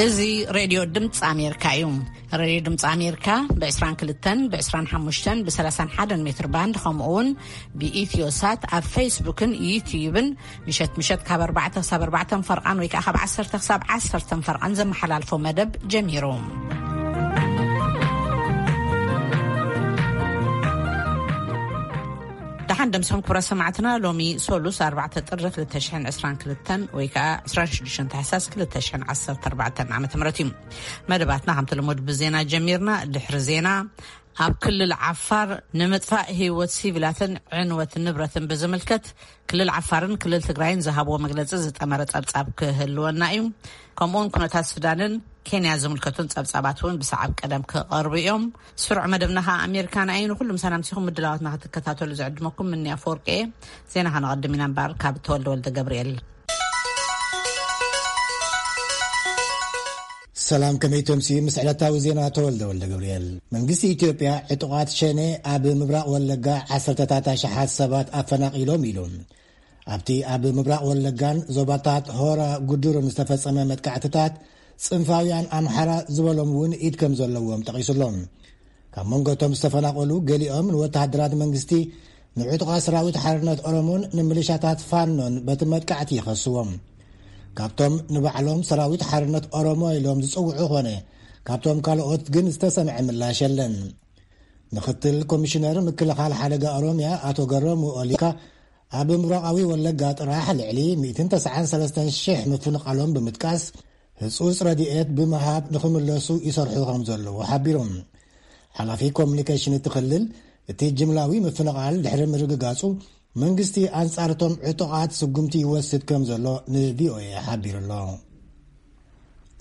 እዚ ሬድዮ ድምፂ ኣሜሪካ እዩ። ሬድዮ ድምፂ ኣሜሪካ ብ22፣ ብ25፣ ብ31 ሜትር ባንድ፣ ከምኡ እውን ብኢትዮ ሳት ኣብ ፌስቡክን ዩትዩብን ምሸት ምሸት ካብ ኣርባዕተ ክሳብ ኣርባዕተ ፈርቓን ወይ ከዓ ካብ ዓሰርተ ክሳብ ዓሰርተ ፈርቓን ዘመሓላልፎ መደብ ጀሚሩ። ደሓን ደምስኹም ክቡራት ሰማዕትና። ሎሚ ሶሉስ ኣርባዕተ ጥሪ ክልተ ሽሕን ዕስራን ክልተን ወይ ከዓ ዕስራን ሽዱሽተን ታሕሳስ ክልተ ሽሕን ዓሰርተ ኣርባዕተን ዓመተ ምህረት እዩ። መደባትና ከምቲ ልሙድ ብዜና ጀሚርና። ድሕሪ ዜና፣ ኣብ ክልል ዓፋር ንምጥፋእ ህይወት ሲቪላትን ዕንወት ንብረትን ብዝምልከት ክልል ዓፋርን ክልል ትግራይን ዝሃብዎ መግለጺ ዝጠመረ ጸብጻብ ክህልወና እዩ። ከምኡውን ኩነታት ሱዳንን ኬንያ ዝምልከቱን ጸብጻባት እውን ብሰዓብ ቀደም ክቐርቡ እዮም። ስሩዕ መደብና ኸኣ ኣሜሪካና እዩ። ንኹሉም ሰላምሲኹም ምድላዋትና ክትከታተሉ ዝዕድመኩም ምንያ ፎርቄ። ዜና ኸነቐድም ኢና እምበኣር ካብ ተወልደ ወልደ ገብርኤል። ሰላም፣ ከመይ ተምስዩ? ምስ ዕለታዊ ዜና ተወልደ ወልደ ገብርኤል። መንግስቲ ኢትዮጵያ ዕጡቓት ሸኔ ኣብ ምብራቕ ወለጋ ዓሰርተታት ኣሽሓት ሰባት ኣፈናቒሎም ኢሉ። ኣብቲ ኣብ ምብራቕ ወለጋን ዞባታት ሆራ ጉዱሩን ዝተፈጸመ መጥቃዕትታት፣ ጽንፋውያን ኣምሓራ ዝበሎም እውን ኢድ ከም ዘለዎም ጠቒሱሎም። ካብ መንጎቶም ዝተፈናቐሉ ገሊኦም ንወተሃደራት መንግስቲ፣ ንዕጡቓት ሰራዊት ሓርነት ኦሮሞን ንምሊሻታት ፋኖን በቲ መጥቃዕቲ ይኸስዎም። ካብቶም ንባዕሎም ሰራዊት ሓርነት ኦሮሞ ኢሎም ዝጽውዑ ኾነ ካብቶም ካልኦት ግን ዝተሰምዐ ምላሽ የለን። ምክትል ኮሚሽነር ምክልኻል ሓደጋ ኦሮሚያ ኣቶ ገረሙ ኦሊካ፣ ኣብ ምብራቓዊ ወለጋ ጥራሕ ልዕሊ ሚእትን ተስዓን ሰለስተን ሽሕ ምፍንቓሎም ብምጥቃስ፣ ህጹጽ ረድኤት ብምሃብ ንኽምለሱ ይሰርሑ ከም ዘለዉ ሓቢሮም። ሓላፊ ኮሙኒኬሽን እቲ ክልል፣ እቲ ጅምላዊ ምፍንቓል ድሕሪ ምርግጋጹ፣ መንግስቲ ኣንጻርቶም ዕጡቓት ስጉምቲ ይወስድ ከም ዘሎ ንቪኦኤ ሓቢሩ ኣሎ።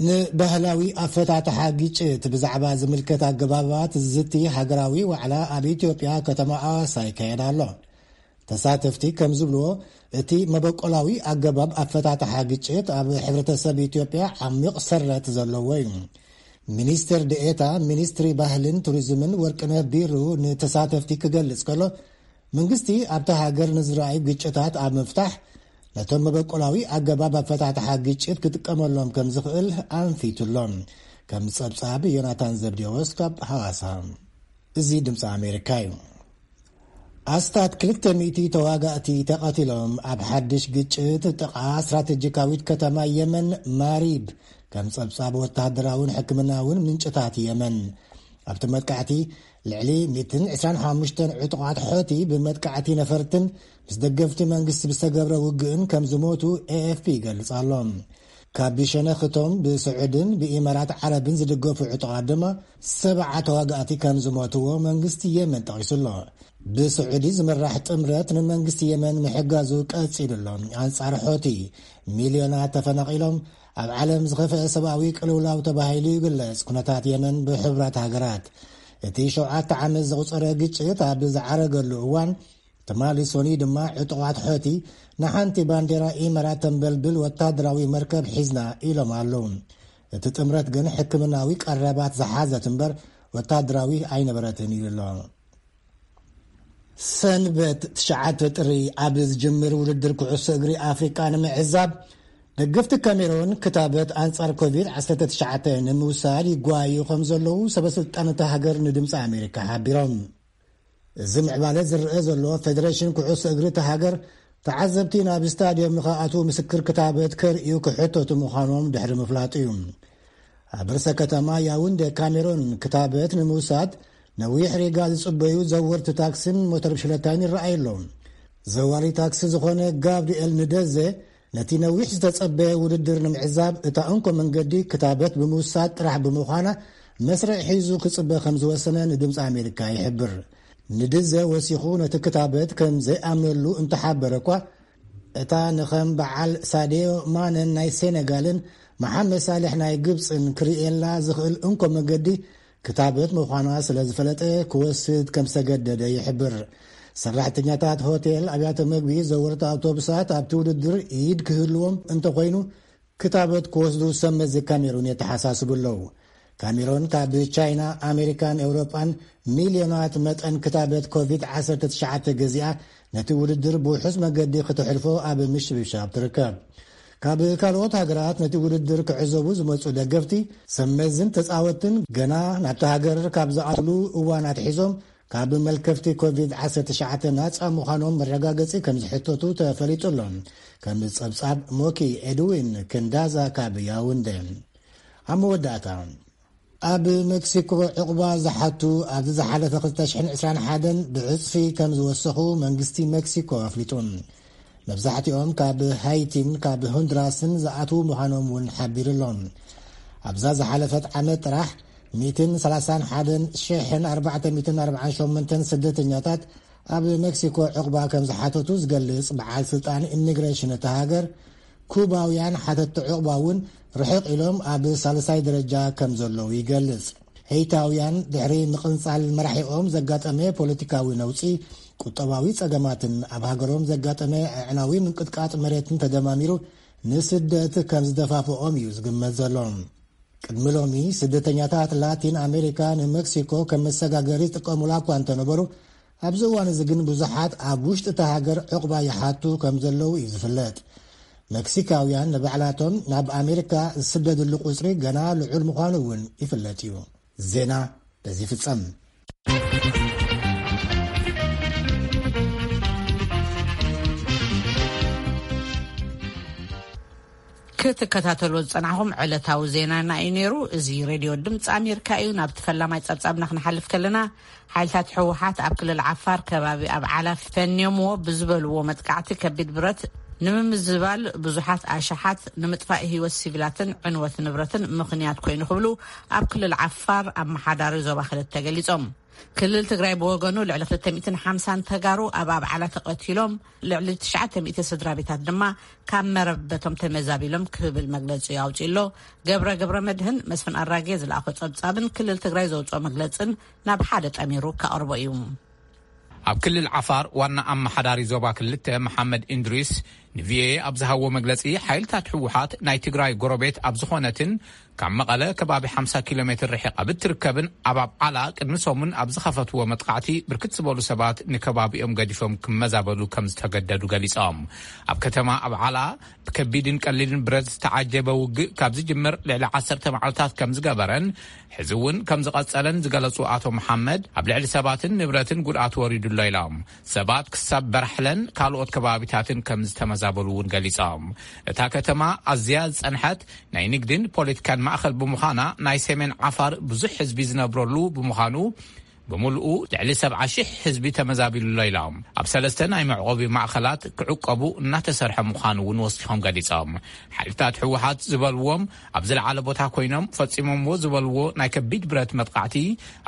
ንባህላዊ ኣፈታትሓ ግጭት ብዛዕባ ዝምልከት ኣገባባት ዝዝቲ ሃገራዊ ዋዕላ ኣብ ኢትዮጵያ ከተማ ኣዋሳ ይካየድ ኣሎ። ተሳተፍቲ ከም ዝብልዎ፣ እቲ መበቆላዊ ኣገባብ ኣፈታትሓ ግጭት ኣብ ሕብረተሰብ ኢትዮጵያ ዓሚቕ ሰረት ዘለዎ እዩ። ሚኒስትር ደኤታ ሚኒስትሪ ባህልን ቱሪዝምን ወርቅነህ ቢሩ ንተሳተፍቲ ክገልጽ ከሎ፣ መንግስቲ ኣብታ ሃገር ንዝረኣዩ ግጭታት ኣብ ምፍታሕ ነቶም መበቆላዊ ኣገባብ ኣፈታትሓ ግጭት ክጥቀመሎም ከም ዝኽእል ኣንፊቱሎም። ከም ጸብጻብ ዮናታን ዘብዴዎስ ካብ ሃዋሳ። እዚ ድምፂ ኣሜሪካ እዩ። ኣስታት ክልተ ሚእቲ ተዋጋእቲ ተቐቲሎም ኣብ ሓድሽ ግጭት ጥቓ ስትራቴጂካዊት ከተማ የመን ማሪብ፣ ከም ጸብጻብ ወተሃደራውን ሕክምናውን ምንጭታት የመን። ኣብቲ መጥቃዕቲ ልዕሊ ሚእትን ዕስራን ሓሙሽተን ዕጡቓት ሖቲ ብመጥቃዕቲ ነፈርትን ምስ ደገፍቲ መንግስቲ ብዝተገብረ ውግእን ከም ዝሞቱ ኤኤፍፒ ይገልጽ ኣሎ። ካብ ሸነኽቶም ብስዑድን ብኢማራት ዓረብን ዝድገፉ ዕጡቓት ድማ ሰብዓ ተዋጋእቲ ከም ዝሞትዎ መንግስቲ የመን ጠቒሱ ኣሎ። ብስዑዲ ዝምራሕ ጥምረት ንመንግስቲ የመን ምሕጋዙ ቀጺሉ ኣሎ። ኣንጻር ሖቲ ሚልዮናት ተፈናቒሎም፣ ኣብ ዓለም ዝኸፍአ ሰብኣዊ ቅልውላው ተባሂሉ ይግለጽ ኩነታት የመን ብሕቡራት ሃገራት። እቲ ሸውዓተ ዓመት ዘቑጸረ ግጭት ኣብ ዝዓረገሉ እዋን፣ ትማሊ ሶኒ ድማ ዕጡቓት ሖቲ ንሓንቲ ባንዴራ ኢማራት ተንበልብል ወታደራዊ መርከብ ሒዝና ኢሎም ኣለዉ። እቲ ጥምረት ግን ሕክምናዊ ቀረባት ዝሓዘት እምበር ወታደራዊ ኣይነበረትን ኢሉ ኣሎ። ሰንበት ትሽዓተ ጥሪ ኣብ ዝጅምር ውድድር ኩዕሶ እግሪ ኣፍሪቃ ንምዕዛብ፣ ደገፍቲ ካሜሮን ክታበት ኣንጻር ኮቪድ ዓሰርተ ትሽዓተ ንምውሳድ ይጓዩ ከም ዘለዉ ሰበ ስልጣን እታ ሃገር ንድምፂ ኣሜሪካ ሓቢሮም። እዚ ምዕባለ ዝረአ ዘሎ፣ ፌደሬሽን ኩዕሶ እግሪ እታ ሃገር ተዓዘብቲ ናብ ስታድዮም ንኽኣትዉ ምስክር ክታበት ከርእዩ ክሕተቱ ምዃኖም ድሕሪ ምፍላጡ እዩ። ኣብ ርእሰ ከተማ ያውንዴ ካሜሮን ክታበት ንምውሳድ ነዊሕ ሪጋ ዝጽበዩ ዘወርቲ ታክስን ሞተር ብሽክለታን ይረኣዩ ኣለዉ። ዘዋሪ ታክሲ ዝኾነ ጋብሪኤል ንደዘ፣ ነቲ ነዊሕ ዝተጸበየ ውድድር ንምዕዛብ እታ እንኮ መንገዲ ክታበት ብምውሳድ ጥራሕ ብምዃና፣ መስርዕ ሒዙ ክጽበ ከም ዝወሰነ ንድምፂ ኣሜሪካ ይሕብር። ንድዘ ወሲኹ ነቲ ክታበት ከም ዘይኣምነሉ እንተሓበረ እኳ፣ እታ ንኸም በዓል ሳድዮ ማነን ናይ ሴነጋልን መሓመድ ሳልሕ ናይ ግብፅን ክርእየላ ዝኽእል እንኮ መገዲ ክታበት ምዃና ስለ ዝፈለጠ ክወስድ ከም ዝተገደደ ይሕብር። ሰራሕተኛታት ሆቴል፣ ኣብያተ መግቢ፣ ዘወርቲ ኣውቶቡሳት ኣብቲ ውድድር ኢድ ክህልዎም እንተኾይኑ ክታበት ክወስዱ ሰብ መዚ ካሜሩን የተሓሳስቡ ኣለዉ። ካሜሩን ካብ ቻይና፣ ኣሜሪካን ኤውሮጳን ሚልዮናት መጠን ክታበት ኮቪድ ዓሰርተ ትሽዓተ ገዚኣ ነቲ ውድድር ብውሑስ መገዲ ክትሕልፎ ኣብ ምሽብሻብ ትርከብ። ካብ ካልኦት ሃገራት ነቲ ውድድር ክዕዘቡ ዝመጹ ደገፍቲ፣ ሰመዝን ተጻወትን ገና ናብቲ ሃገር ካብ ዝኣትሉ እዋን ኣትሒዞም ካብ መልከፍቲ ኮቪድ ዓሰርተ ትሽዓተ ናጻ ምዃኖም መረጋገጺ ከም ዝሕተቱ ተፈሊጡ ኣሎ። ከም ጸብጻብ ሞኪ ኤድዊን ክንዳዛ ካብ ያውንደ። ኣብ መወዳእታ፣ ኣብ ሜክሲኮ ዕቑባ ዝሓቱ ኣብዚ ዝሓለፈ ክልተ ሽሕን ዕስራን ሓደን ብዕጽፊ ከም ዝወሰኹ መንግስቲ ሜክሲኮ ኣፍሊጡ። መብዛሕትኦም ካብ ሃይቲን ካብ ሆንድራስን ዝኣትዉ ምዃኖም እውን ሓቢሩ ኣሎ። ኣብዛ ዝሓለፈት ዓመት ጥራሕ ሚእትን ሰላሳን ሓደን ሽሕን ኣርባዕተ ሚእትን ኣርባዓን ሸሞንተን ስደተኛታት ኣብ ሜክሲኮ ዕቑባ ከም ዝሓተቱ ዝገልጽ በዓል ስልጣን ኢሚግሬሽን እታ ሃገር፣ ኩባውያን ሓተቲ ዕቑባ እውን ርሕቕ ኢሎም ኣብ ሳልሳይ ደረጃ ከም ዘለዉ ይገልጽ። ሄይታውያን ድሕሪ ምቕንጻል መራሒኦም ዘጋጠመ ፖለቲካዊ ነውጺ፣ ቁጠባዊ ጸገማትን ኣብ ሃገሮም ዘጋጠመ ኣዕናዊ ምንቅጥቃጥ መሬትን ተደማሚሩ ንስደት ከም ዝደፋፍኦም እዩ ዝግመት ዘሎ። ቅድሚ ሎሚ ስደተኛታት ላቲን ኣሜሪካ ንመክሲኮ ከም መሰጋገሪ ዝጥቀሙላ እኳ እንተነበሩ፣ ኣብዚ እዋን እዚ ግን ብዙሓት ኣብ ውሽጢ እታ ሃገር ዕቑባ ይሓቱ ከም ዘለዉ እዩ ዝፍለጥ። መክሲካውያን ንባዕላቶም ናብ ኣሜሪካ ዝስደድሉ ቁጽሪ ገና ልዑል ምዃኑ እውን ይፍለጥ እዩ። ዜና በዚ ይፍጸም። ክትከታተልዎ ዝጸናሕኩም ዕለታዊ ዜናና እዩ ነይሩ። እዚ ሬድዮ ድምፂ ኣሜሪካ እዩ። ናብቲ ፈላማይ ጸብጻብና ክንሓልፍ ከለና፣ ሓይልታት ህወሓት ኣብ ክልል ዓፋር ከባቢ ኣብ ዓላ ፈንዮምዎ ብዝበልዎ መጥቃዕቲ ከቢድ ብረት ንምምዝባል ብዙሓት ኣሽሓት ንምጥፋእ ህይወት ሲቪላትን ዕንወት ንብረትን ምኽንያት ኮይኑ ክብሉ ኣብ ክልል ዓፋር ኣመሓዳሪ ዞባ ክልተ ገሊጾም። ክልል ትግራይ ብወገኑ ልዕሊ ክልተ ሚእትን ሓምሳን ተጋሩ ኣብ ኣብዓላ ተቐቲሎም፣ ልዕሊ ትሽዓተ ሚእቲ ስድራ ቤታት ድማ ካብ መረበቶም ተመዛቢሎም ክብል መግለጺ ኣውጺኡ ኣሎ። ገብረ ገብረ መድህን መስፍን ኣራጌ ዝለኣኾ ጸብጻብን ክልል ትግራይ ዘውጽኦ መግለጽን ናብ ሓደ ጠሚሩ ከቕርቦ እዩ። ኣብ ክልል ዓፋር ዋና ኣመሓዳሪ ዞባ ክልተ መሓመድ ኢንድሪስ ንቪኦኤ ኣብ ዝሃቦ መግለጺ፣ ሓይልታት ህወሓት ናይ ትግራይ ጎረቤት ኣብ ዝኾነትን ካብ መቐለ ከባቢ ሓምሳ ኪሎ ሜትር ርሒቓ ብትርከብን ኣብ ኣብዓላ ቅድሚ ሰሙን ኣብ ዝኸፈትዎ መጥቃዕቲ ብርክት ዝበሉ ሰባት ንከባቢኦም ገዲፎም ክመዛበሉ ከም ዝተገደዱ ገሊጾም። ኣብ ከተማ ኣብዓላ ብከቢድን ቀሊልን ብረት ዝተዓጀበ ውግእ ካብ ዝጅምር ልዕሊ ዓሰርተ መዓልታት ከም ዝገበረን ሕዚ እውን ከም ዝቐጸለን ዝገለጹ ኣቶ መሓመድ፣ ኣብ ልዕሊ ሰባትን ንብረትን ጉድኣት ወሪዱ ኣሎ ኢሎም። ሰባት ክሳብ በራሕለን ካልኦት ከባቢታትን ከም ዝተመዛበሉ እውን ገሊጾም። እታ ከተማ ኣዝያ ዝጸንሐት ናይ ንግድን ፖለቲካን ማእኸል ብምዃና፣ ናይ ሰሜን ዓፋር ብዙሕ ህዝቢ ዝነብረሉ ብምዃኑ፣ ብምልኡ ልዕሊ ሰብዓ ሺሕ ህዝቢ ተመዛቢሉ ኣሎ ኢሎም። ኣብ ሰለስተ ናይ መዕቆቢ ማእኸላት ክዕቆቡ እናተሰርሐ ምዃኑ እውን ወሲኾም ገሊጾም። ሓይልታት ህወሓት ዝበልዎም ኣብ ዝለዓለ ቦታ ኮይኖም ፈጺሞምዎ ዝበልዎ ናይ ከቢድ ብረት መጥቃዕቲ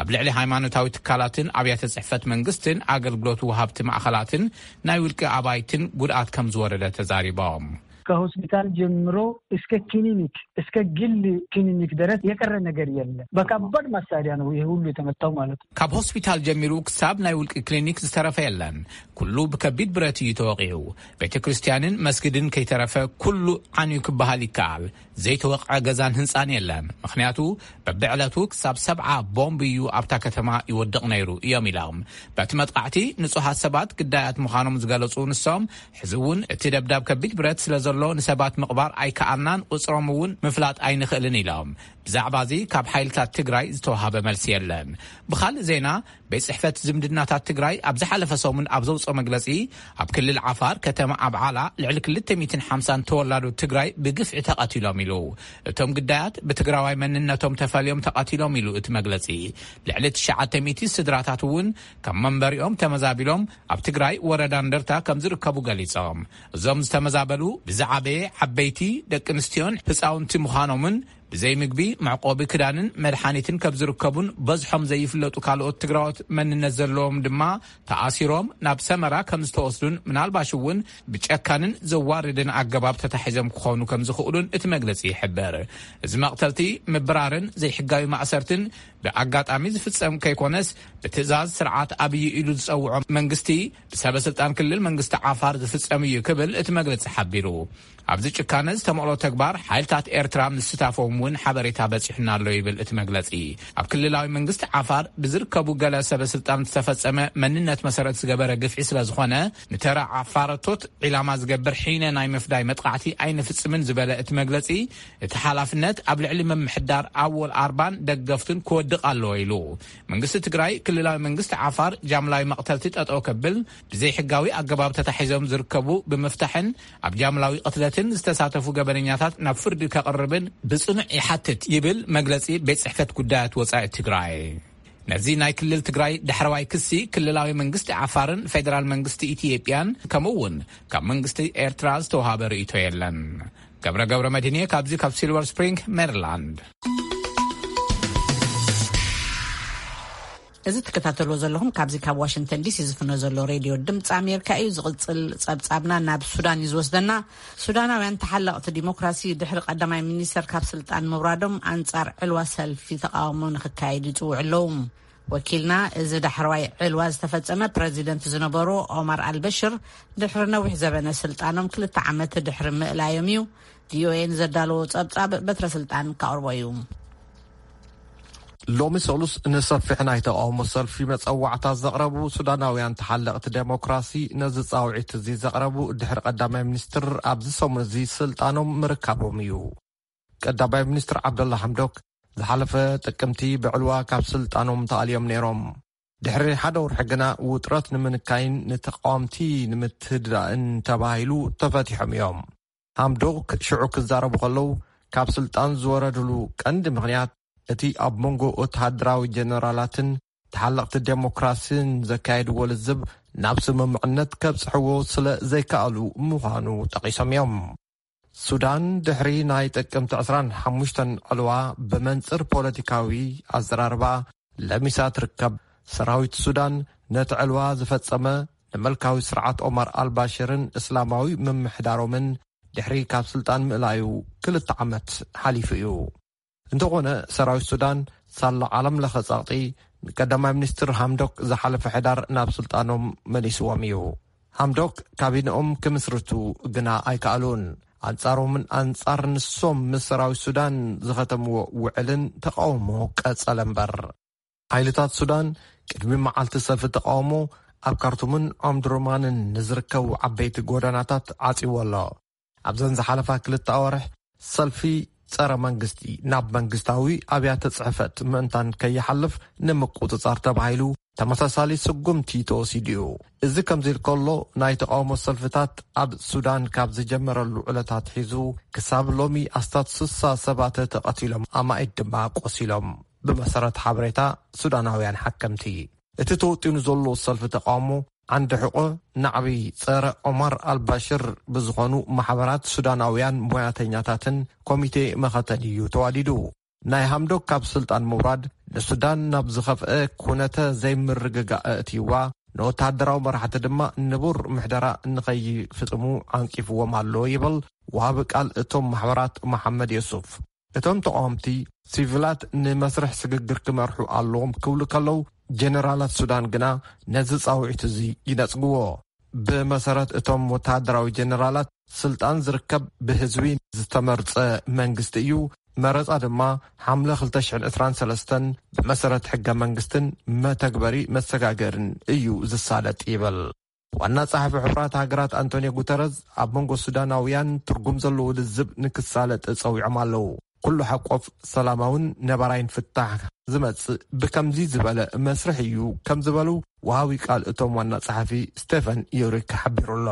ኣብ ልዕሊ ሃይማኖታዊ ትካላትን ኣብያተ ጽሕፈት መንግስትን ኣገልግሎት ወሃብቲ ማእኸላትን ናይ ውልቂ ኣባይትን ጉድኣት ከም ዝወረደ ተዛሪቦም። ከሆስፒታል ጀምሮ እስከ ክሊኒክ፣ እስከ ግል ክሊኒክ ድረስ የቀረ ነገር የለም። በከባድ መሳሪያ ነው ይሄ ሁሉ የተመታው ማለት ነው። ካብ ሆስፒታል ጀሚሩ ክሳብ ናይ ውልቂ ክሊኒክ ዝተረፈ የለን። ኩሉ ብከቢድ ብረት እዩ ተወቂዑ። ቤተ ክርስቲያንን መስጊድን ከይተረፈ ኩሉ ዓንዩ ክበሃል ይከኣል። ዘይተወቕዐ ገዛን ህንጻን የለን። ምኽንያቱ በብዕለቱ ክሳብ ሰብዓ ቦምብ እዩ ኣብታ ከተማ ይወድቕ ነይሩ እዮም ኢሎም። በቲ መጥቃዕቲ ንጹሃት ሰባት ግዳያት ምዃኖም ዝገለጹ ንሶም፣ ሕዚ እውን እቲ ደብዳብ ከቢድ ብረት ስለ ዘሎ ንሰባት ምቕባር ኣይከኣልናን፣ ቁጽሮም እውን ምፍላጥ ኣይንኽእልን ኢሎም። ብዛዕባ እዚ ካብ ሓይልታት ትግራይ ዝተዋሃበ መልሲ የለን። ብኻልእ ዜና፣ ቤት ጽሕፈት ዝምድናታት ትግራይ ኣብ ዝሓለፈ ሰሙን ኣብ ዘውፅኦ መግለፂ፣ ኣብ ክልል ዓፋር ከተማ ኣብዓላ ልዕሊ ክልተ ሚእትን ሓምሳን ተወላዶ ትግራይ ብግፍዒ ተቐቲሎም ኢሉ። እቶም ግዳያት ብትግራዋይ መንነቶም ተፈልዮም ተቐቲሎም ኢሉ እቲ መግለፂ። ልዕሊ ትሽዓተ ሚእቲ ስድራታት እውን ካብ መንበሪኦም ተመዛቢሎም ኣብ ትግራይ ወረዳ እንደርታ ከም ዝርከቡ ገሊጾም። እዞም ዝተመዛበሉ ብዝዓበየ ዓበይቲ፣ ደቂ ኣንስትዮን ህፃውንቲ ምዃኖምን ብዘይ ምግቢ፣ መዕቆቢ ክዳንን መድሓኒትን ከም ዝርከቡን በዝሖም ዘይፍለጡ ካልኦት ትግራዎት መንነት ዘለዎም ድማ ተኣሲሮም ናብ ሰመራ ከም ዝተወስዱን ምናልባሽ እውን ብጨካንን ዘዋርድን ኣገባብ ተታሒዞም ክኾኑ ከም ዝኽእሉን እቲ መግለጺ ይሕብር። እዚ መቕተልቲ፣ ምብራርን ዘይሕጋዊ ማእሰርትን ብኣጋጣሚ ዝፍጸም ከይኮነስ ብትእዛዝ ስርዓት ኣብይ ኢሉ ዝጸውዖ መንግስቲ ብሰበ ስልጣን ክልል መንግስቲ ዓፋር ዝፍጸም እዩ ክብል እቲ መግለጺ ሓቢሩ። ኣብዚ ጭካነ ዝተመቕሎ ተግባር ሓይልታት ኤርትራ ምስታፎም እውን ሓበሬታ በጺሑና ኣሎ ይብል እቲ መግለጺ። ኣብ ክልላዊ መንግስቲ ዓፋር ብዝርከቡ ገለ ሰበ ስልጣን ዝተፈጸመ መንነት መሰረት ዝገበረ ግፍዒ ስለ ዝኾነ፣ ንተራ ዓፋረቶት ዒላማ ዝገብር ሒነ ናይ ምፍዳይ መጥቃዕቲ ኣይንፍጽምን ዝበለ እቲ መግለጺ፣ እቲ ሓላፍነት ኣብ ልዕሊ ምምሕዳር ኣወል ኣርባን ደገፍቱን ክወድቕ ኣለዎ ኢሉ። መንግስቲ ትግራይ ክልላዊ መንግስቲ ዓፋር ጃምላዊ መቕተልቲ ጠጠው ከብል፣ ብዘይሕጋዊ ኣገባብ ተታሒዞም ዝርከቡ ብምፍታሕን ኣብ ጃምላዊ ቅትለትን ዝተሳተፉ ገበነኛታት ናብ ፍርዲ ከቕርብን ብጽኑዕ ይሓትት ይብል መግለጺ ቤት ጽሕፈት ጉዳያት ወጻኢ ትግራይ። ነዚ ናይ ክልል ትግራይ ዳሕረዋይ ክሲ ክልላዊ መንግስቲ ዓፋርን ፌደራል መንግስቲ ኢትዮጵያን ከምኡ እውን ካብ መንግስቲ ኤርትራ ዝተውሃበ ርእይቶ የለን። ገብረ ገብረ መድህንየ ካብዚ ካብ ሲልቨር ስፕሪንግ ሜሪላንድ። እዚ ትከታተልዎ ዘለኹም ካብዚ ካብ ዋሽንግተን ዲሲ ዝፍኖ ዘሎ ሬድዮ ድምፂ ኣሜሪካ እዩ። ዝቕፅል ፀብፃብና ናብ ሱዳን እዩ ዝወስደና። ሱዳናውያን ተሓለቕቲ ዲሞክራሲ ድሕሪ ቀዳማይ ሚኒስተር ካብ ስልጣን ምውራዶም ኣንፃር ዕልዋ ሰልፊ ተቃውሞ ንክካየድ ይፅውዑ ኣለዉ። ወኪልና፣ እዚ ዳሕረዋይ ዕልዋ ዝተፈጸመ ፕረዚደንት ዝነበሩ ኦማር ኣልበሽር ድሕሪ ነዊሕ ዘበነ ስልጣኖም ክልተ ዓመት ድሕሪ ምእላዮም እዩ። ቪኦኤ ንዘዳለዎ ጸብጻብ በትረ ስልጣን ካቕርቦ እዩ። ሎሚ ሰሉስ ንሰፊሕ ናይ ተቃውሞ ሰልፊ መጸዋዕታ ዘቕረቡ ሱዳናውያን ተሓለቕቲ ዴሞክራሲ፣ ነዚ ጻውዒት እዚ ዘቕረቡ ድሕሪ ቀዳማይ ሚኒስትር ኣብዚ ሰሙን እዚ ስልጣኖም ምርካቦም እዩ። ቀዳማይ ሚኒስትር ዓብደላ ሓምዶክ ዝሓለፈ ጥቅምቲ ብዕልዋ ካብ ስልጣኖም ተኣልዮም ነይሮም። ድሕሪ ሓደ ወርሒ ግና ውጥረት ንምንካይን ንተቃወምቲ ንምትህድዳእን ተባሂሉ ተፈቲሖም እዮም። ሓምዶክ ሽዑ ክዛረቡ ከለዉ፣ ካብ ስልጣን ዝወረድሉ ቀንዲ ምኽንያት እቲ ኣብ መንጎ ወተሃደራዊ ጀነራላትን ተሓለቕቲ ዴሞክራሲን ዘካየድዎ ልዝብ ናብ ስምምዕነት ከብጽሕዎ ስለ ዘይከኣሉ ምዃኑ ጠቒሶም እዮም። ሱዳን ድሕሪ ናይ ጥቅምቲ ዕስራን ሓሙሽተን ዕልዋ ብመንጽር ፖለቲካዊ ኣዘራርባ ለሚሳ ትርከብ። ሰራዊት ሱዳን ነቲ ዕልዋ ዝፈጸመ ንምልካዊ ስርዓት ኦማር ኣልባሽርን እስላማዊ ምምሕዳሮምን ድሕሪ ካብ ስልጣን ምእላዩ ክልተ ዓመት ሓሊፉ እዩ። እንተኾነ ሰራዊት ሱዳን ሳላ ዓለም ለኸ ጸቕጢ ንቀዳማይ ሚኒስትር ሃምዶክ ዝሓለፈ ሕዳር ናብ ስልጣኖም መሊስዎም እዩ። ሃምዶክ ካቢንኦም ክምስርቱ ግና ኣይከኣሉን። ኣንጻሮምን ኣንጻር ንሶም ምስ ሰራዊት ሱዳን ዝኸተምዎ ውዕልን ተቃውሞ ቀጸለ እምበር። ሓይልታት ሱዳን ቅድሚ መዓልቲ ሰልፊ ተቃውሞ ኣብ ካርቱምን ኦምድሩማንን ንዝርከቡ ዓበይቲ ጎደናታት ዓጺዎ ኣሎ። ኣብዘን ዝሓለፋ ክልተ ኣዋርሕ ሰልፊ ጸረ መንግስቲ ናብ መንግስታዊ ኣብያተ ጽሕፈት ምእንታን ከይሓልፍ ንምቁጽጻር ተባሂሉ ተመሳሳሊ ስጉምቲ ተወሲዱ እዩ። እዚ ከምዚ ኢል ከሎ፣ ናይ ተቃውሞ ሰልፍታት ኣብ ሱዳን ካብ ዝጀመረሉ ዕለታት ሒዙ ክሳብ ሎሚ ኣስታት ስሳ ሰባት ተቐቲሎም፣ ኣማኢት ድማ ቆሲሎም፣ ብመሰረት ሓበሬታ ሱዳናውያን ሓከምቲ። እቲ ተወጢኑ ዘሎ ሰልፊ ተቃውሞ ዓንዲ ሕቆ ናዕቢ ጸረ ኦማር ኣልባሽር ብዝኾኑ ማሕበራት ሱዳናውያን ሞያተኛታትን ኮሚቴ መኸተን እዩ ተዋዲዱ። ናይ ሃምዶክ ካብ ስልጣን ምውራድ ንሱዳን ናብ ዝኸፍአ ኩነተ ዘይምርግጋእ እትይዋ፣ ንወተሃደራዊ መራሕቲ ድማ ንቡር ምሕደራ ንኸይፍጽሙ ዓንቂፍዎም ኣሎ ይብል ወሃቢ ቃል እቶም ማሕበራት መሓመድ የሱፍ። እቶም ተቃወምቲ፣ ሲቪላት ንመስርሕ ስግግር ክመርሑ ኣለዎም ክብሉ ከለዉ፣ ጀነራላት ሱዳን ግና ነዚ ጻውዒት እዚ ይነጽግዎ። ብመሰረት እቶም ወተሃደራዊ ጀነራላት፣ ስልጣን ዝርከብ ብህዝቢ ዝተመርጸ መንግስቲ እዩ። መረጻ ድማ ሓምለ ክልተ ሽሕን ዕስራን ሰለስተን ብመሰረት ሕገ መንግስትን መተግበሪ መሰጋገርን እዩ ዝሳለጥ ይብል። ዋና ጸሓፊ ሕቡራት ሃገራት ኣንቶኒዮ ጉተረዝ ኣብ መንጎ ሱዳናውያን ትርጉም ዘለዎ ልዝብ ንክሳለጥ ጸዊዖም ኣለዉ። ኩሉ ሓቆፍ ሰላማውን ነባራይን ፍታሕ ዝመጽእ ብከምዚ ዝበለ መስርሕ እዩ ከም ዝበሉ ወሃቢ ቃል እቶም ዋና ጸሓፊ ስቴፈን ዩሪክ ሓቢሩ ኣሎ።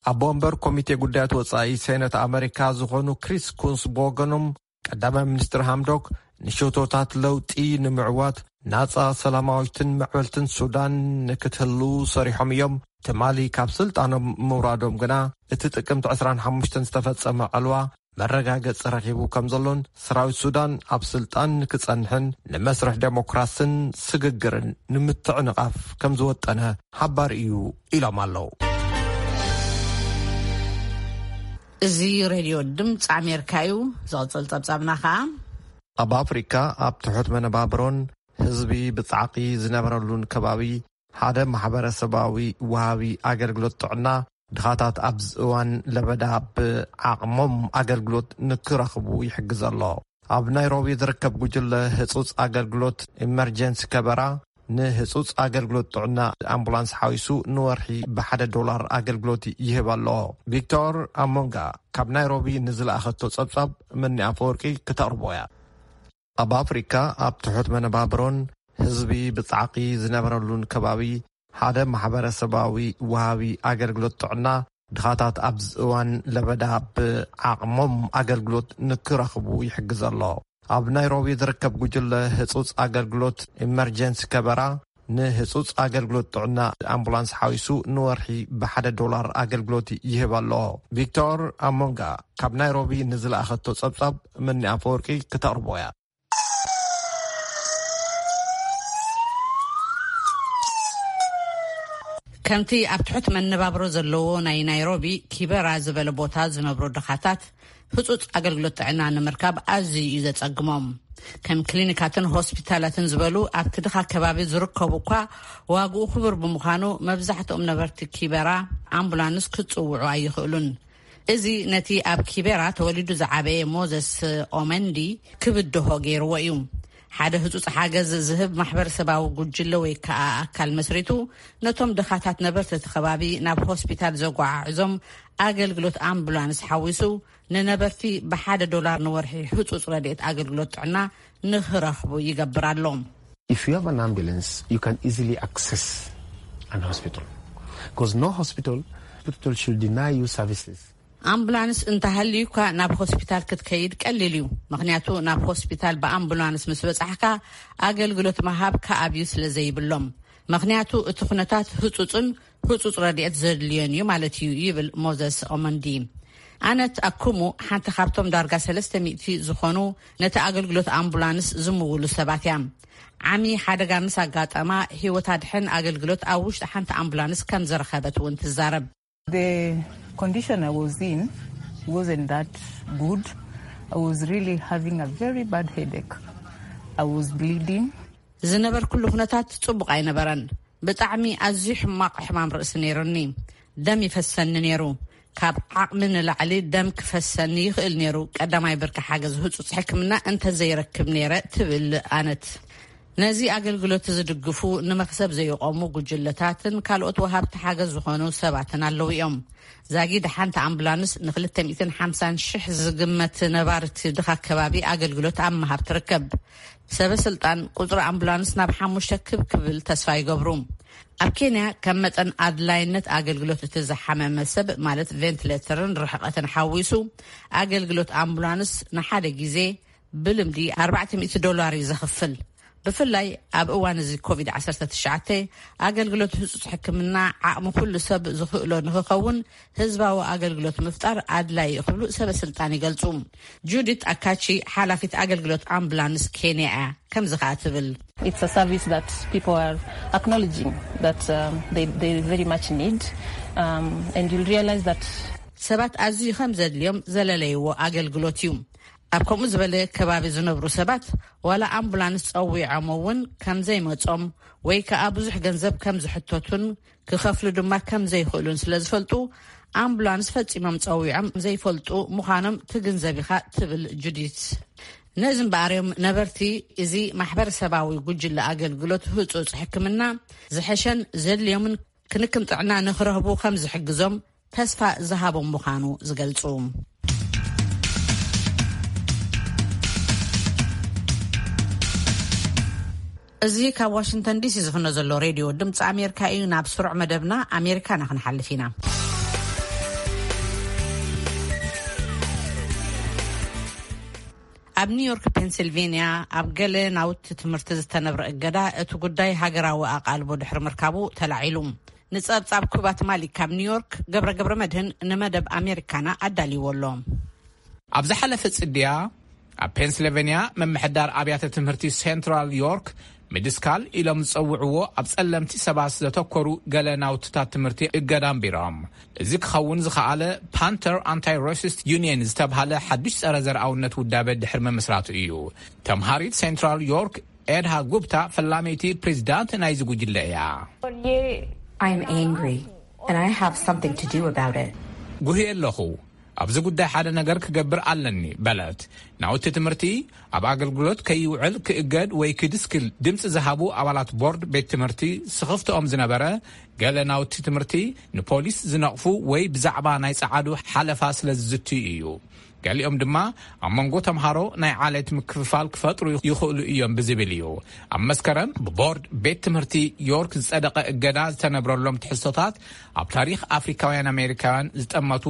ኣቦ ወንበር ኮሚቴ ጉዳያት ወጻኢ ሴነት ኣመሪካ ዝኾኑ ክሪስ ኩንስ ብወገኖም፣ ቀዳማይ ሚኒስትር ሃምዶክ ንሸቶታት ለውጢ ንምዕዋት ናጻ ሰላማዊትን ምዕብልትን ሱዳን ንክትህሉ ሰሪሖም እዮም። ትማሊ ካብ ስልጣኖም ምውራዶም ግና እቲ ጥቅምቲ ዕስራን ሓሙሽተን ዝተፈጸመ ዕልዋ መረጋገጺ ረኺቡ ከም ዘሎን ሰራዊት ሱዳን ኣብ ስልጣን ንክጸንሕን ንመስርሕ ዴሞክራስን ስግግርን ንምትዕንቓፍ ከም ዝወጠነ ሓባር እዩ ኢሎም ኣለዉ። እዚ ሬድዮ ድምፂ ኣሜሪካ እዩ። ዝቕፅል ፀብፃብና ከዓ ኣብ ኣፍሪካ ኣብ ትሑት መነባብሮን ህዝቢ ብፃዕቂ ዝነበረሉን ከባቢ ሓደ ማሕበረሰባዊ ወሃቢ ኣገልግሎት ጥዕና ድኻታት ኣብዚ እዋን ለበዳ ብዓቕሞም ኣገልግሎት ንክረኽቡ ይሕግዝ ኣሎ። ኣብ ናይሮቢ ዝርከብ ጉጅለ ህጹጽ ኣገልግሎት ኢመርጀንሲ ከበራ ንህጹጽ ኣገልግሎት ጥዕና ኣምቡላንስ ሓዊሱ ንወርሒ ብሓደ ዶላር ኣገልግሎት ይህብ ኣሎ። ቪክቶር ኣሞንጋ ካብ ናይሮቢ ንዝለኣኸቶ ጸብጻብ መኒ ኣፈወርቂ ክተቕርቦ እያ። ኣብ ኣፍሪካ ኣብ ትሑት መነባብሮን ህዝቢ ብጻዕቂ ዝነበረሉን ከባቢ ሓደ ማሕበረሰባዊ ወሃቢ ኣገልግሎት ጥዕና ድኻታት ኣብዚ እዋን ለበዳ ብዓቕሞም ኣገልግሎት ንክረኽቡ ይሕግዝ ኣሎ። ኣብ ናይሮቢ ዝርከብ ጉጅለ ህጹጽ ኣገልግሎት ኢመርጀንሲ ከበራ ንህጹጽ ኣገልግሎት ጥዕና ኣምቡላንስ ሓዊሱ ንወርሒ ብሓደ ዶላር ኣገልግሎት ይህብ ኣሎ። ቪክቶር ኣሞንጋ ካብ ናይሮቢ ንዝለኣኸቶ ጸብጻብ መኒ ኣፈወርቂ ክተቕርቦ እያ። ከምቲ ኣብ ትሑት መነባብሮ ዘለዎ ናይ ናይሮቢ ኪበራ ዝበለ ቦታ ዝነብሩ ድኻታት ህጹጽ ኣገልግሎት ጥዕና ንምርካብ ኣዝዩ እዩ ዘጸግሞም። ከም ክሊኒካትን ሆስፒታላትን ዝበሉ ኣብቲ ድኻ ከባቢ ዝርከቡ እኳ ዋግኡ ክቡር ብምዃኑ መብዛሕትኦም ነበርቲ ኪበራ ኣምቡላንስ ክጽውዑ ኣይኽእሉን። እዚ ነቲ ኣብ ኪቤራ ተወሊዱ ዝዓበየ ሞዘስ ኦመንዲ ክብድሆ ገይርዎ እዩ። ሓደ ህጹጽ ሓገዝ ዝህብ ማሕበረሰባዊ ጉጅለ ወይ ከኣ ኣካል መስሪቱ ነቶም ድኻታት ነበርቲ እቲ ከባቢ ናብ ሆስፒታል ዘጓዓዕዞም ኣገልግሎት ኣምቡላንስ ሓዊሱ ንነበርቲ ብሓደ ዶላር ንወርሒ ህጹጽ ረድኤት ኣገልግሎት ጥዕና ንኽረኽቡ ይገብር ኣሎ። If you have an ambulance, you can easily access an hospital. Because no hospital, hospital should deny you services. ኣምቡላንስ እንተሃልዩካ ናብ ሆስፒታል ክትከይድ ቀሊል እዩ። ምኽንያቱ ናብ ሆስፒታል ብኣምቡላንስ ምስ በጻሕካ ኣገልግሎት መሃብ ከኣብዩ ስለ ዘይብሎም። ምኽንያቱ እቲ ኩነታት ህጹጽን ህጹጽ ረድኤት ዘድልዮን እዩ ማለት እዩ ይብል ሞዘስ ኦመንዲ። ኣነት ኣኩሙ ሓንቲ ካብቶም ዳርጋ ሰለስተ ሚእቲ ዝኾኑ ነቲ ኣገልግሎት ኣምቡላንስ ዝምውሉ ሰባት እያ። ዓሚ ሓደጋ ምስ ኣጋጠማ ህይወት ኣድሕን ኣገልግሎት ኣብ ውሽጢ ሓንቲ ኣምቡላንስ ከም ዝረኸበት እውን ትዛረብ። The condition I was in wasn't that good. I was really having a very bad headache. I was bleeding. ዝነበርኩሉ ኩነታት ጽቡቕ ኣይነበረን። ብጣዕሚ ኣዝዩ ሕማቕ ሕማም ርእሲ ነይሩኒ። ደም ይፈሰኒ ነይሩ። ካብ ዓቕሚ ንላዕሊ ደም ክፈሰኒ ይኽእል ነይሩ። ቀዳማይ ብርኪ ሓገዝ ህጹጽ ሕክምና እንተዘይረክብ ነይረ ትብል ኣነት። ነዚ ኣገልግሎት ዝድግፉ ንመኽሰብ ዘይቆሙ ጉጅለታትን ካልኦት ወሃብቲ ሓገዝ ዝኾኑ ሰባትን ኣለዉ እዮም። ዛጊድ ሓንቲ ኣምቡላንስ ንክልተ ሚእትን ሓምሳን ሽሕ ዝግመት ነባርቲ ድኻ ከባቢ ኣገልግሎት ኣብ ምሃብ ትርከብ። ሰበ ስልጣን ቁጽሪ ኣምቡላንስ ናብ ሓሙሽተ ክብ ክብል ተስፋ ይገብሩ። ኣብ ኬንያ ከም መጠን ኣድላይነት ኣገልግሎት እቲ ዝሓመመ ሰብ ማለት ቬንትሌተርን ርሕቐትን ሓዊሱ ኣገልግሎት ኣምቡላንስ ንሓደ ግዜ ብልምዲ ኣርባዕተ ሚእቲ ዶላር እዩ ዘኽፍል። ብፍላይ ኣብ እዋን እዚ ኮቪድ ዓሰርተ ትሽዓተ ኣገልግሎት ህጹጽ ሕክምና ዓቕሚ ኩሉ ሰብ ዝኽእሎ ንኽኸውን ህዝባዊ ኣገልግሎት ምፍጣር ኣድላይ እዩ ክብሉ ሰበ ስልጣን ይገልጹ። ጁዲት ኣካቺ ሓላፊት ኣገልግሎት ኣምቡላንስ ኬንያ እያ። ከምዚ ከኣ ትብል። It's a service that people are acknowledging that um, they, they very much need um, and you'll realize that ሰባት ኣዝዩ ከም ዘድልዮም ዘለለይዎ ኣገልግሎት እዩ። ኣብ ከምኡ ዝበለ ከባቢ ዝነብሩ ሰባት ዋላ ኣምቡላንስ ጸዊዖም እውን ከም ዘይመጾም ወይ ከኣ ብዙሕ ገንዘብ ከም ዝሕተቱን ክኸፍሉ ድማ ከም ዘይኽእሉን ስለ ዝፈልጡ ኣምቡላንስ ፈጺሞም ጸዊዖም ዘይፈልጡ ምዃኖም ትግንዘብ ኢኻ ትብል ጁዲት። ነዚ እምበኣር እዮም ነበርቲ እዚ ማሕበረሰባዊ ጉጅለ ኣገልግሎት ህጹጽ ሕክምና ዝሐሸን ዘድልዮምን ክንክን ጥዕና ንኽረህቡ ከም ዝሕግዞም ተስፋ ዝሃቦም ምዃኑ ዝገልጹ። እዚ ካብ ዋሽንግተን ዲሲ ዝፍኖ ዘሎ ሬድዮ ድምፂ ኣሜሪካ እዩ። ናብ ስሩዕ መደብና ኣሜሪካና ክንሓልፍ ኢና። ኣብ ኒውዮርክ ፔንሲልቬንያ ኣብ ገለ ናውቲ ትምህርቲ ዝተነብረ እገዳ እቲ ጉዳይ ሃገራዊ ኣቓልቦ ድሕሪ ምርካቡ ተላዒሉ። ንጸብጻብ ኩባት ማሊክ ካብ ኒውዮርክ ገብረ ገብረ መድህን ንመደብ ኣሜሪካና ኣዳልይዎ ኣሎ። ኣብ ዝሓለፈ ጽድያ ኣብ ፔንስልቨንያ ምምሕዳር ኣብያተ ትምህርቲ ሴንትራል ዮርክ ምድስካል ኢሎም ዝጸውዕዎ ኣብ ጸለምቲ ሰባት ዘተኮሩ ገለ ናውትታት ትምህርቲ እገዳ ኣንቢሮም። እዚ ክኸውን ዝኸኣለ ፓንተር ኣንታይ ራሲስት ዩኒየን ዝተብሃለ ሓዱሽ ጸረ ዘርኣውነት ውዳበ ድሕሪ ምምስራቱ እዩ። ተምሃሪት ሴንትራል ዮርክ ኤድሃ ጉፕታ ፈላመይቲ ፕሬዚዳንት ናይዚ ጉጅለ እያ። I'm angry and I have something to do about it. ጉህየ ኣለኹ። ኣብዚ ጉዳይ ሓደ ነገር ክገብር ኣለኒ በለት። ናውቲ ትምህርቲ ኣብ ኣገልግሎት ከይውዕል ክእገድ ወይ ክድስክል ድምፂ ዝሃቡ ኣባላት ቦርድ ቤት ትምህርቲ ስኽፍትኦም ዝነበረ፣ ገለ ናውቲ ትምህርቲ ንፖሊስ ዝነቕፉ ወይ ብዛዕባ ናይ ጸዓዱ ሓለፋ ስለ ዝዝትዩ እዩ። ገሊኦም ድማ ኣብ መንጎ ተምሃሮ ናይ ዓሌት ምክፍፋል ክፈጥሩ ይኽእሉ እዮም ብዝብል እዩ። ኣብ መስከረም ብቦርድ ቤት ትምህርቲ ዮርክ ዝጸደቐ እገዳ ዝተነብረሎም ትሕዝቶታት፣ ኣብ ታሪኽ ኣፍሪካውያን ኣሜሪካውያን ዝጠመቱ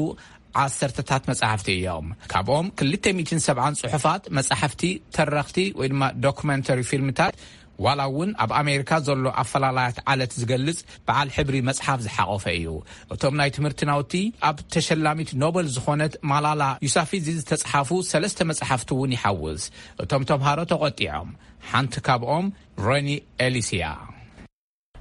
ዓሰርተታት መጻሕፍቲ እዮም። ካብኦም ክልተ ሚእትን ሰብዓን ጽሑፋት፣ መጻሕፍቲ፣ ተረኽቲ ወይ ድማ ዶኩመንተሪ ፊልምታት፣ ዋላ እውን ኣብ ኣሜሪካ ዘሎ ኣፈላላያት ዓለት ዝገልጽ በዓል ሕብሪ መጽሓፍ ዝሓቖፈ እዩ። እቶም ናይ ትምህርቲ ናውቲ ኣብ ተሸላሚት ኖበል ዝኾነት ማላላ ዩሳፊዚ ዝተጽሓፉ ሰለስተ መጽሓፍቲ እውን ይሓውስ። እቶም ተምሃሮ ተቖጢዖም። ሓንቲ ካብኦም ሮኒ ኤሊስ እያ።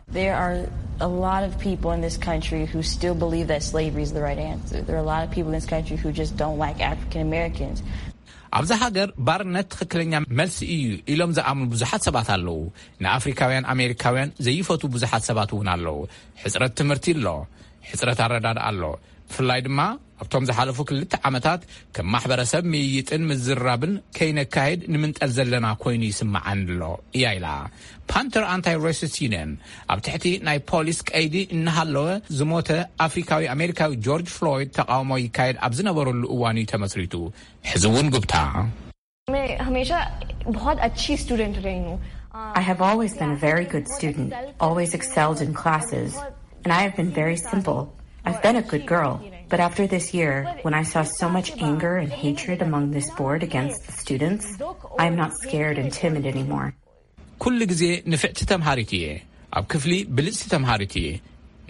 There are a lot of people in this country who still believe that slavery is the right answer. There are a lot of people in this country who just don't like African Americans. ኣብዛ ሃገር ባርነት ትኽክለኛ መልሲ እዩ ኢሎም ዝኣምኑ ብዙሓት ሰባት ኣለዉ። ንኣፍሪካውያን ኣሜሪካውያን ዘይፈቱ ብዙሓት ሰባት እውን ኣለዉ። ሕፅረት ትምህርቲ ኣሎ፣ ሕፅረት ኣረዳድኣ ኣሎ። ብፍላይ ድማ ኣብቶም ዝሓለፉ ክልተ ዓመታት ከም ማሕበረሰብ ምይይጥን ምዝራብን ከይነካየድ ንምንጠል ዘለና ኮይኑ ይስምዓኒ ኣሎ እያ ኢላ። ፓንተር ኣንታይ ሬሲስት ዩኒየን ኣብ ትሕቲ ናይ ፖሊስ ቀይዲ እናሃለወ ዝሞተ ኣፍሪካዊ ኣሜሪካዊ ጆርጅ ፍሎይድ ተቃውሞ ይካየድ ኣብ ዝነበረሉ እዋን እዩ ተመስሪቱ። ሕዚ እውን ጉብታ मैं हमेशा बहुत अच्छी स्टूडेंट रही हूँ I have always been a very good student, always excelled in classes, and I have been very simple. I've been a good girl, but after this year, when I saw so much anger and hatred among this board against the students, I am not scared and timid anymore. ኩሉ ግዜ ንፍዕቲ ተምሃሪት እየ። ኣብ ክፍሊ ብልጽቲ ተምሃሪት እየ።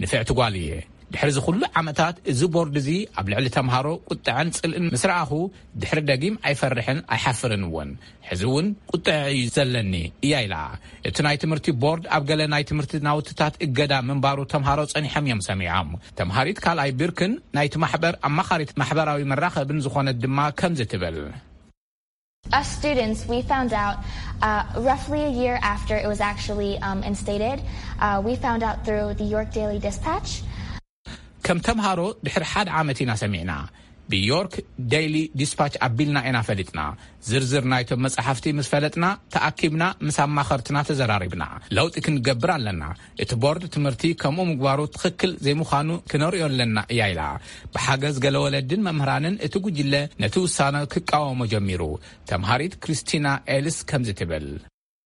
ንፍዕቲ ጓል እየ። ድሕሪ እዚ ኩሉ ዓመታት እዚ ቦርድ እዚ ኣብ ልዕሊ ተምሃሮ ቁጥዐን ጽልእን ምስ ረኣኹ ድሕሪ ደጊም ኣይፈርሕን ኣይሓፍርን እውን። ሕዚ እውን ቁጥዐ እዩ ዘለኒ እያ ኢላ። እቲ ናይ ትምህርቲ ቦርድ ኣብ ገለ ናይ ትምህርቲ ናውትታት እገዳ ምንባሩ ተምሃሮ ጸኒሖም እዮም ሰሚዖም። ተምሃሪት ካልኣይ ብርክን ናይቲ ማሕበር ኣማኻሪት ማሕበራዊ መራኸብን ዝኾነት ድማ ከምዚ ትብል። Us students, we found out uh, roughly a year after it was actually um, instated, uh, we found out through the York Daily Dispatch. ከም ተምሃሮ ድሕሪ ሓደ ዓመት ኢና ሰሚዕና። ብዮርክ ዴይሊ ዲስፓች ኣቢልና ኢና ፈሊጥና። ዝርዝር ናይቶም መጻሕፍቲ ምስ ፈለጥና ተኣኪብና ምስ ኣማኸርትና ተዘራሪብና። ለውጢ ክንገብር ኣለና። እቲ ቦርድ ትምህርቲ ከምኡ ምግባሩ ትኽክል ዘይምዃኑ ክነርእዮ ኣለና እያ ኢላ። ብሓገዝ ገለ ወለድን መምህራንን እቲ ጉጅለ ነቲ ውሳነ ክቃወሞ ጀሚሩ። ተምሃሪት ክሪስቲና ኤልስ ከምዚ ትብል።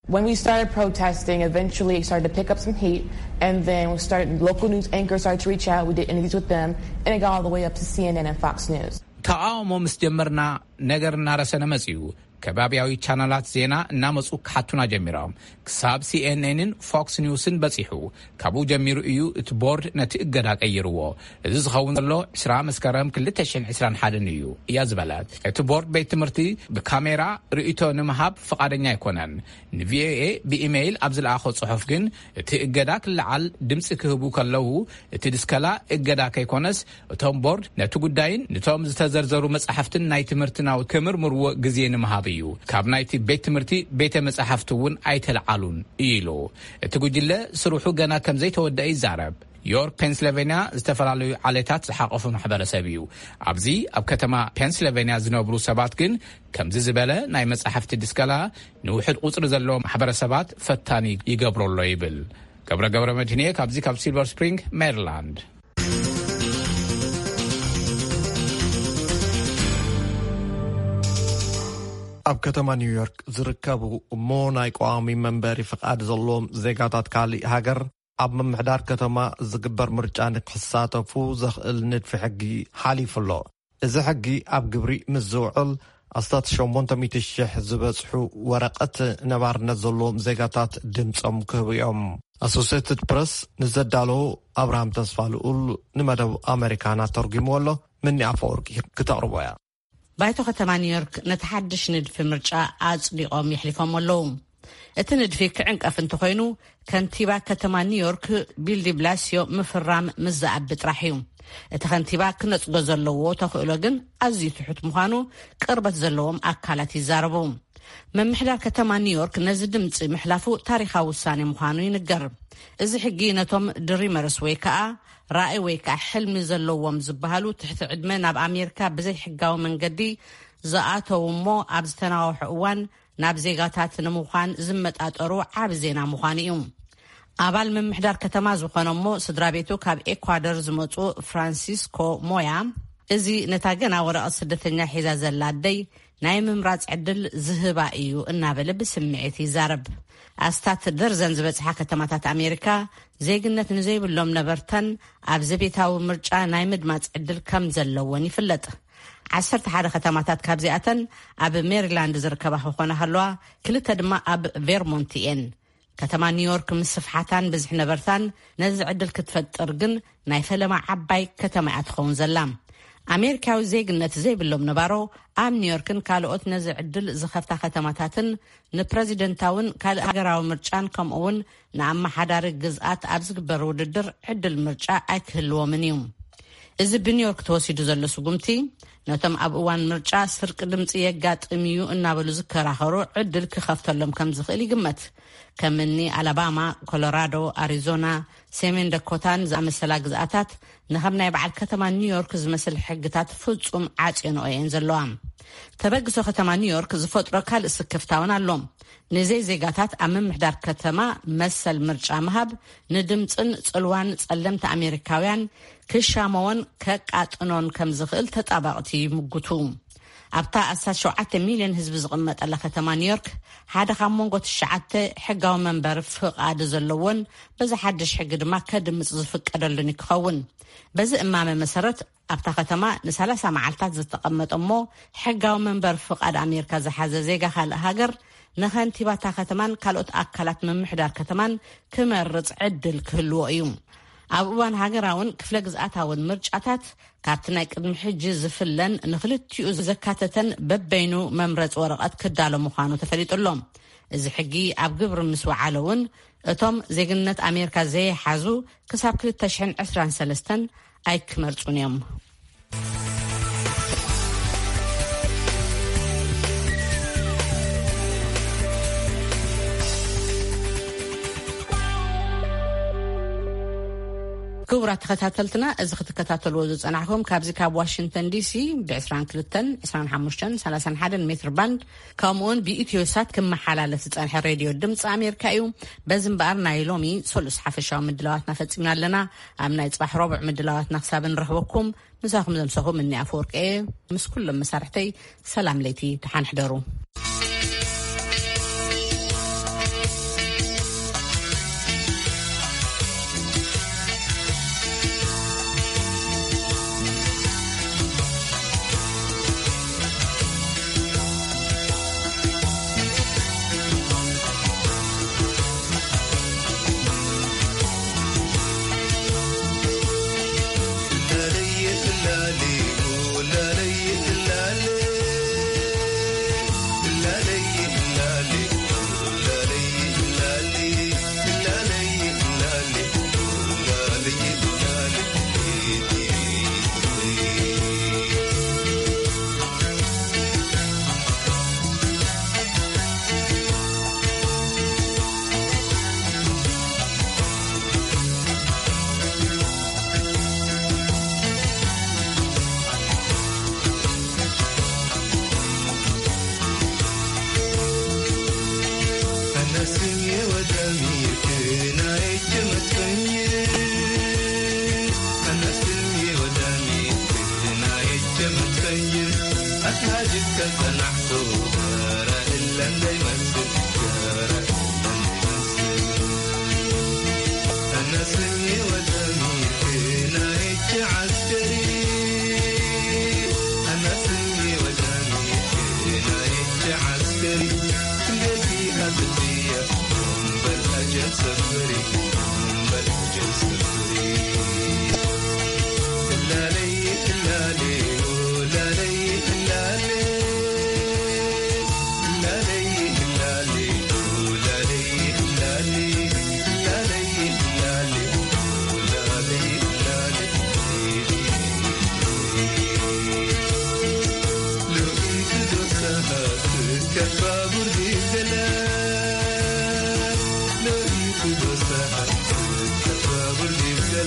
When we started protesting, eventually it started to pick up some heat, and then we started, local news anchors started to reach out. We did interviews with them, and it got all the way up to C N N and Fox News. ተቃውሞ ምስ ጀመርና ነገር እናረሰነ መጽዩ። ከባቢያዊ ቻነላት ዜና እናመጹ ክሓቱና ጀሚሮም። ክሳብ ሲኤንኤንን ፎክስ ኒውስን በጺሑ። ካብኡ ጀሚሩ እዩ እቲ ቦርድ ነቲ እገዳ ቀይርዎ። እዚ ዝኸውን ዘሎ ዕስራ መስከረም ክልተ ሽሕን ዕስራን ሓደን እዩ እያ ዝበለት። እቲ ቦርድ ቤት ትምህርቲ ብካሜራ ርእይቶ ንምሃብ ፍቓደኛ ኣይኮነን። ንቪኦኤ ብኢሜይል ኣብ ዝለኣኾ ጽሑፍ ግን እቲ እገዳ ክለዓል ድምጺ ክህቡ ከለዉ እቲ ድስከላ እገዳ ከይኮነስ እቶም ቦርድ ነቲ ጉዳይን ንቶም ዝተዘርዘሩ መጻሕፍትን ናይ ትምህርቲ ናውቲ ክምርምርዎ ግዜ ንምሃብ እዩ። ካብ ናይቲ ቤት ትምህርቲ ቤተ መጻሕፍቲ እውን ኣይተለዓሉን እዩ ኢሉ። እቲ ጉጅለ ስርሑ ገና ከም ዘይተወደአ ይዛረብ። ዮርክ ፔንስልቬንያ ዝተፈላለዩ ዓሌታት ዝሓቆፈ ማሕበረሰብ እዩ። ኣብዚ ኣብ ከተማ ፔንስልቬንያ ዝነብሩ ሰባት ግን ከምዚ ዝበለ ናይ መጻሕፍቲ ድስከላ ንውሕድ ቁጽሪ ዘለዎ ማሕበረሰባት ፈታኒ ይገብሮ ኣሎ ይብል። ገብረ ገብረ መድህንየ ካብዚ ካብ ሲልቨር ስፕሪንግ ሜሪላንድ። ኣብ ከተማ ኒውዮርክ ዝርከቡ እሞ ናይ ቀዋሚ መንበሪ ፍቓድ ዘለዎም ዜጋታት ካልእ ሃገር ኣብ ምምሕዳር ከተማ ዝግበር ምርጫ ንክሳተፉ ዘኽእል ንድፊ ሕጊ ሓሊፉ ኣሎ። እዚ ሕጊ ኣብ ግብሪ ምስ ዝውዕል ኣስታት ሸሞንተ ሚእቲ ሽሕ ዝበጽሑ ወረቐት ነባርነት ዘለዎም ዜጋታት ድምጾም ክህቡ እዮም። ኣሶሴትድ ፕረስ ንዘዳለዉ ኣብርሃም ተስፋ ልኡል ንመደብ ኣሜሪካና ተርጒምዎ ኣሎ። ምኒ ኣፈወርቂ ክተቕርቦ እያ። ባይቶ ከተማ ኒውዮርክ ነቲ ሓድሽ ንድፊ ምርጫ ኣጽዲቖም የሕሊፎም ኣለዉ። እቲ ንድፊ ክዕንቀፍ እንተኾይኑ ከንቲባ ከተማ ኒውዮርክ ቢል ዲብላስዮ ምፍራም ምስ ዝኣቢ ጥራሕ እዩ። እቲ ከንቲባ ክነጽጎ ዘለዎ ተኽእሎ ግን ኣዝዩ ትሑት ምዃኑ ቅርበት ዘለዎም ኣካላት ይዛረቡ። ምምሕዳር ከተማ ኒውዮርክ ነዚ ድምፂ ምሕላፉ ታሪኻዊ ውሳኔ ምዃኑ ይንገር። እዚ ሕጊ ነቶም ድሪመርስ ወይ ከዓ ራእይ ወይ ከዓ ሕልሚ ዘለዎም ዝበሃሉ ትሕቲ ዕድመ ናብ ኣሜሪካ ብዘይሕጋዊ መንገዲ ዝኣተዉ እሞ ኣብ ዝተናዋሑ እዋን ናብ ዜጋታት ንምዃን ዝመጣጠሩ ዓቢ ዜና ምዃኑ እዩ። ኣባል ምምሕዳር ከተማ ዝኾነ እሞ ስድራ ቤቱ ካብ ኤኳደር ዝመፁ ፍራንሲስኮ ሞያ፣ እዚ ነታ ገና ወረቐት ስደተኛ ሒዛ ዘላ ኣደይ ናይ ምምራፅ ዕድል ዝህባ እዩ እናበለ ብስምዒት ይዛረብ። ኣስታት ደርዘን ዝበፅሓ ከተማታት ኣሜሪካ ዜግነት ንዘይብሎም ነበርተን ኣብ ዘቤታዊ ምርጫ ናይ ምድማፅ ዕድል ከም ዘለወን ይፍለጥ። ዓሰርተ ሓደ ከተማታት ካብዚኣተን ኣብ ሜሪላንድ ዝርከባ ክኾና ከለዋ፣ ክልተ ድማ ኣብ ቬርሞንት እየን። ከተማ ኒውዮርክ ምስ ስፍሓታን ብዝሒ ነበርታን ነዚ ዕድል ክትፈጥር ግን ናይ ፈለማ ዓባይ ከተማ እያ ትኸውን ዘላ። ኣሜሪካዊ ዜግነት ዘይብሎም ነባሮ ኣብ ኒውዮርክን ካልኦት ነዚ ዕድል ዝኸፍታ ከተማታትን ንፕረዚደንታውን ካልእ ሃገራዊ ምርጫን ከምኡ እውን ንኣመሓዳሪ ግዝኣት ኣብ ዝግበር ውድድር ዕድል ምርጫ ኣይክህልዎምን እዩ። እዚ ብኒውዮርክ ተወሲዱ ዘሎ ስጉምቲ ነቶም ኣብ እዋን ምርጫ ስርቂ ድምፂ የጋጥም እዩ እናበሉ ዝከራኸሩ ዕድል ክኸፍተሎም ከም ዝኽእል ይግመት። ከም እኒ ኣላባማ፣ ኮሎራዶ፣ ኣሪዞና፣ ሰሜን ደኮታን ዝኣመሰላ ግዝኣታት ንኸም ናይ በዓል ከተማ ኒውዮርክ ዝመስል ሕግታት ፍጹም ዓጽዮንኦ እየን ዘለዋ። ተበግሶ ከተማ ኒውዮርክ ዝፈጥሮ ካልእ ስክፍታውን ኣሎ። ንዘይ ዜጋታት ኣብ ምምሕዳር ከተማ መሰል ምርጫ ምሃብ ንድምፅን ጽልዋን ጸለምቲ ኣሜሪካውያን ክሻመዎን ከቃጥኖን ከም ዝኽእል ተጣባቕቲ ይምጉቱ። ኣብታ ኣስታት ሸውዓተ ሚልዮን ህዝቢ ዝቕመጠላ ከተማ ኒውዮርክ፣ ሓደ ካብ መንጎ ትሽዓተ ሕጋዊ መንበር ፍቓድ ዘለዎን በዚ ሓድሽ ሕጊ ድማ ከድምፅ ዝፍቀደሉን ክኸውን። በዚ እማመ መሰረት ኣብታ ከተማ ንሰላሳ መዓልታት ዝተቐመጠ እሞ ሕጋዊ መንበር ፍቓድ ኣሜሪካ ዝሓዘ ዜጋ ካልእ ሃገር ንኸንቲባታ ከተማን ካልኦት ኣካላት ምምሕዳር ከተማን ክመርጽ ዕድል ክህልዎ እዩ። ኣብ እዋን ሃገራውን ክፍለ ግዝኣታውን ምርጫታት ካብቲ ናይ ቅድሚ ሕጂ ዝፍለን ንክልቲኡ ዘካተተን በበይኑ መምረፂ ወረቐት ክዳሎ ምዃኑ ተፈሊጡ ኣሎ። እዚ ሕጊ ኣብ ግብሪ ምስ ወዓለ እውን እቶም ዜግነት ኣሜሪካ ዘይሓዙ ክሳብ ክልተ ሽሕን ዕስራን ሰለስተን ኣይክመርፁን እዮም። ክቡራት ተኸታተልትና፣ እዚ ክትከታተልዎ ዝጸናሕኩም ካብዚ ካብ ዋሽንግተን ዲሲ ብ ዕስራን ክልተን፣ ዕስራን ሓሙሽተን፣ ሰላሳን ሓደን ሜትር ባንድ፣ ከምኡውን ብኢትዮ ሳት ክመሓላለፍ ዝጸንሐ ሬድዮ ድምፂ ኣሜሪካ እዩ። በዚ እምበኣር ናይ ሎሚ ሰሉስ ሓፈሻዊ ምድላዋትና ፈጺምና ኣለና። ኣብ ናይ ጽባሕ ረቡዕ ምድላዋትና ክሳብ ንረኽበኩም፣ ምሳኹም ዘምሰኹ ምኒ ኣፈወርቂ እየ። ምስ ኩሎም መሳርሕተይ ሰላም ለይቲ፣ ደሓን ሕደሩ።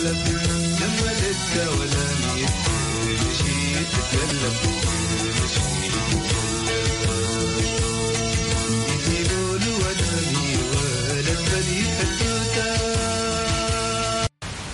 ለብ ንመልእከ ወለሚት ምሽት ትገለብ ምሽት